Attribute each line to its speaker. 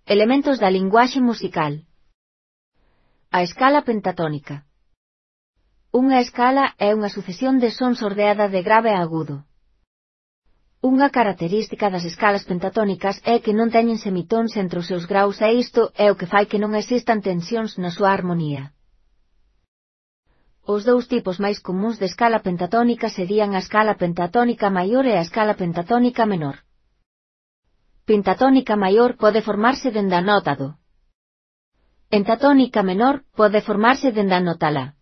Speaker 1: Elementos da linguaxe musical. A escala pentatónica. Unha escala é unha sucesión de sons ordeada de grave a agudo. Unha característica das escalas pentatónicas é que non teñen semitóns entre os seus graus e isto é o que fai que non existan tensións na súa armonía. Os dous tipos máis comúns de escala pentatónica serían a escala pentatónica maior e a escala pentatónica menor. Pentatónica maior pode formarse dende a nota do. Pentatónica menor pode formarse dende a nota la.